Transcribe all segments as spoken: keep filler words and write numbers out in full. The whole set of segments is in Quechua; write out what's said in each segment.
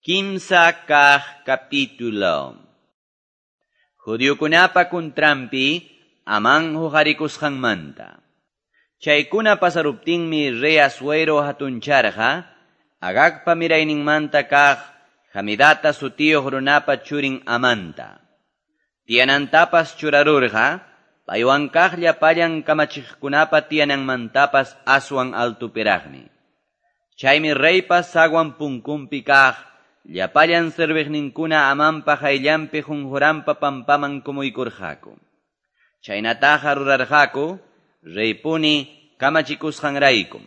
Kimsa kaq capítulo. Judiokunapa kuntranpi Amán huqarikusqanmanta. Chaykuna pasaruptinmi rey Asuero hatuncharqa Agagpa mirayninmanta kaq Hamidata sutiyuq runapa churin Amanta. Tiyanantapas churarurqa paywan kaq llapallan kamachiqkunapa tiyananmantapas aswan altupiraqmi. Chaymi reypa sagwan punkunpi kaq llapallan serviqninkuna Amanpa hayllanpi qunquranpa pampaman kumuykurqaku. Chaynataqa rurarqaku reypuni kamachikusqanraykum.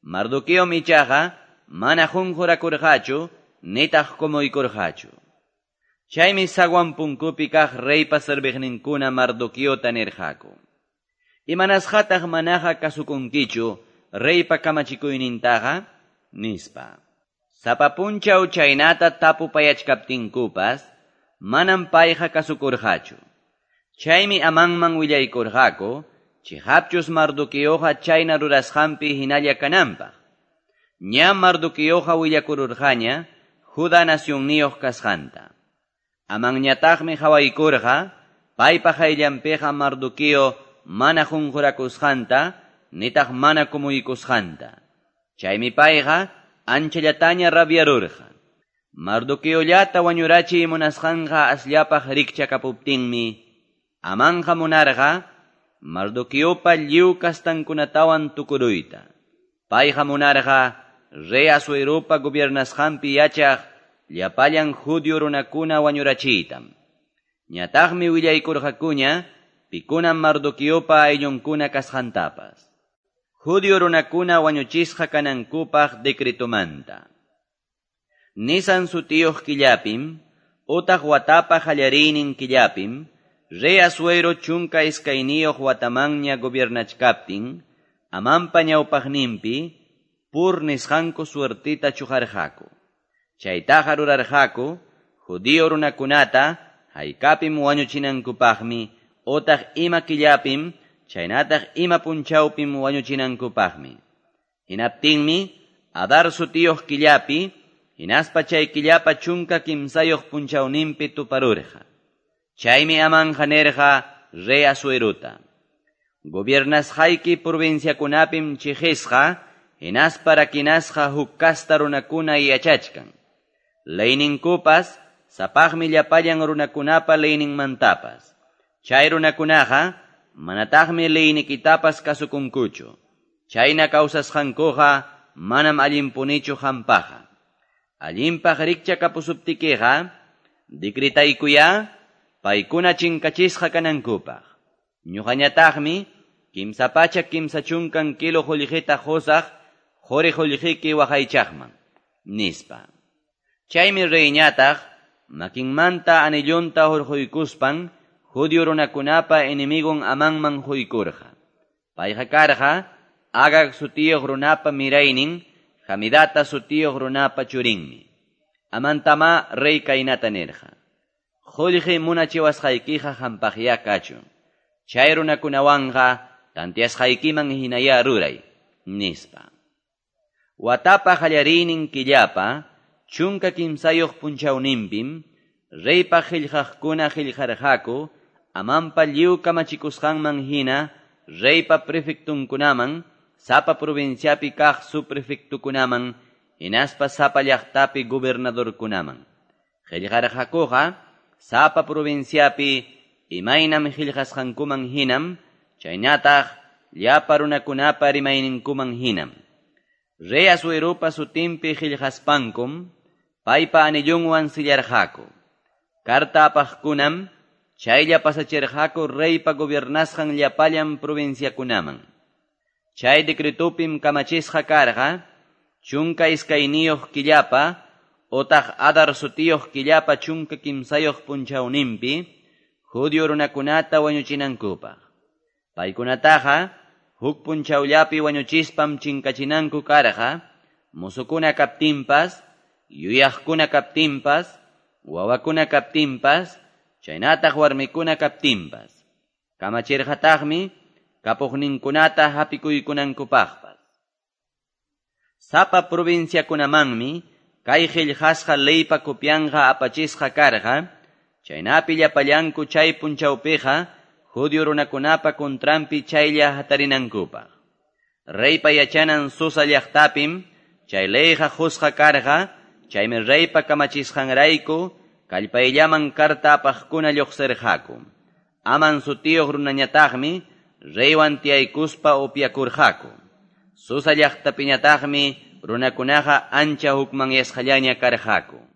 Mardoqueom ichaqa mana qunqurakurqachu nitaq kumuykurqachu. Chaymi sagwan punkupi kaq reypa serviqninkuna Mardoqueota nirqaku: Imanasqataq manaqa kasukunkichu reypa kamachikuynintaqa? Nispa. Sapa punchaw chaynata tapupayachkaptinkupas manam payqa kasukurqachu. Chaymi Amanman willaykurqaku chiqapchus Mardoqueoqa chayna rurasqanpi hinalla kananpaq. Ña Mardoqueoqa willakururqaña Judá nacionniyuq kasqanta. Amanñataqmi qhawaykurqa paypa hayllanpiqa Mardoqueo mana qunqurakusqanta nitaq mana kumuykusqanta. Chaymi payqa anchallataña rabiarurqa. Mardoqueollata wañurachiy munasqanqa asllapaq rikchakapuptinmi Amanqa munarqa Mardoqueopa lliw kastankunatawan tukuruyta. Payqa munarqa rey Asueropa gobiernasqanpi yachaq llapallan judío runakuna wañurachiytam. Ñataqmi willaykurqakuña pikunam Mardoqueopa ayllunkuna kasqantapas. Judío runakuna wañuchisqa kanankupaq decretomanta. Nisan sutiyuq killapim, utaq watapa qallariynin killapim, rey Asuero chunka iskayniyuq watamanña gobiernachkaptin, Amanpa ñawpaqninpi pur nisqanku suertita chuqarqaku. Chaytaqa rurarqaku judío runakunata haykapim wañuchinankupaqmi utaq ima killapim chaynataq ima punchawpim wañuchinankupaqmi. Hinaptinmi Adar sutiyuq killapi hinaspa chay killapa chunka kimsayuq punchawninpi tuparurqa. Chaymi Amanqa nirqa rey Asuerota: Gobiernasqayki provinciakunapim chiqisqa hinaspa rakinasqa huk kasta runakuna yachachkan. Leyninkupas sapaqmi llapallan runakunapa leyninmantapas. Chay runakunaqa manataqmi leynikitapas kasukunkuchu. Chayna kawsasqankuqa manam allinpunichu hampaqa. Allinpaq rikchakapusuptikiqa decretaykuya paykuna chinkachisqa kanankupaq. Ñuqañataqmi kimsa pachak kimsa chunkan kilo qullqita qusaq quri qullqiki waqaychaqman, nispa. Chaymi reyñataq makinmanta anillunta hurquykuspan judío runakunapa enemigon Amanman huykurqa. Payqa karqa Agag sutiyuq runapa miraynin Hamidata sutiyuq runapa churinmi. Amantama rey kaynata nirqa: Qullqi munachiwasqaykiqa hampaqya kachun. Chay runakunawanqa tantiasqaykiman hinaya ruray, nispa. Watapa qallariynin killapa chunka kimsayuq punchawninpim reypa qillqaqkuna qillqarqaku Amanpa lliw kamachikusqanman hina reypa prefectunkunaman, sapa provinciapi kaq subprefectukunaman, hinaspa sapa llaqtapi gobernadorkunaman. Qillqarqakuqa sapa provinciapi imaynam qillqasqankuman hinam, chaynataq llapa runakunapa rimayninkuman hinam. Rey Asueropa sutinpi qillqaspankum paypa anillunwan sillarqaku. Karta apaqkunam chaylla pasachirqaku reypa gobiernasqan llapallan provinciakunaman. Chay decretopim kamachisqa karqa chunka iskayniyuq killapa utaq Adar sutiyuq killapa chunka kimsayuq punchawninpi judío runakunata wañuchinankupaq. Paykunataqa huk punchawllapi wañuchispam chinkachinanku karqa, musukuna kaptinpas, yuyaqkuna kaptinpas, wawakuna kaptinpas, chaynataq warmikuna kaptinpas. Kamachirqataqmi kapuqninkunata hapikuykunankupaqpas. Sapa provinciakunamanmi kay qillqasqa leypa copianqa apachisqa karqa, chaynapi llapallanku chay punchawpiqa judio runakunapa contranpi chaylla hatarinankupaq. Reypa yachanan Susa llaqtapim chay leyqa qusqa karqa, chaymi reypa kamachisqanrayku kallpayllaman carta apaqkuna lluqsirqaku. Aman sutiyuq runañataqmi reywan tiyaykuspa upyakurqaku. Susa llaqtapiñataqmi runakunaqa ancha hukmanyasqallaña karqaku.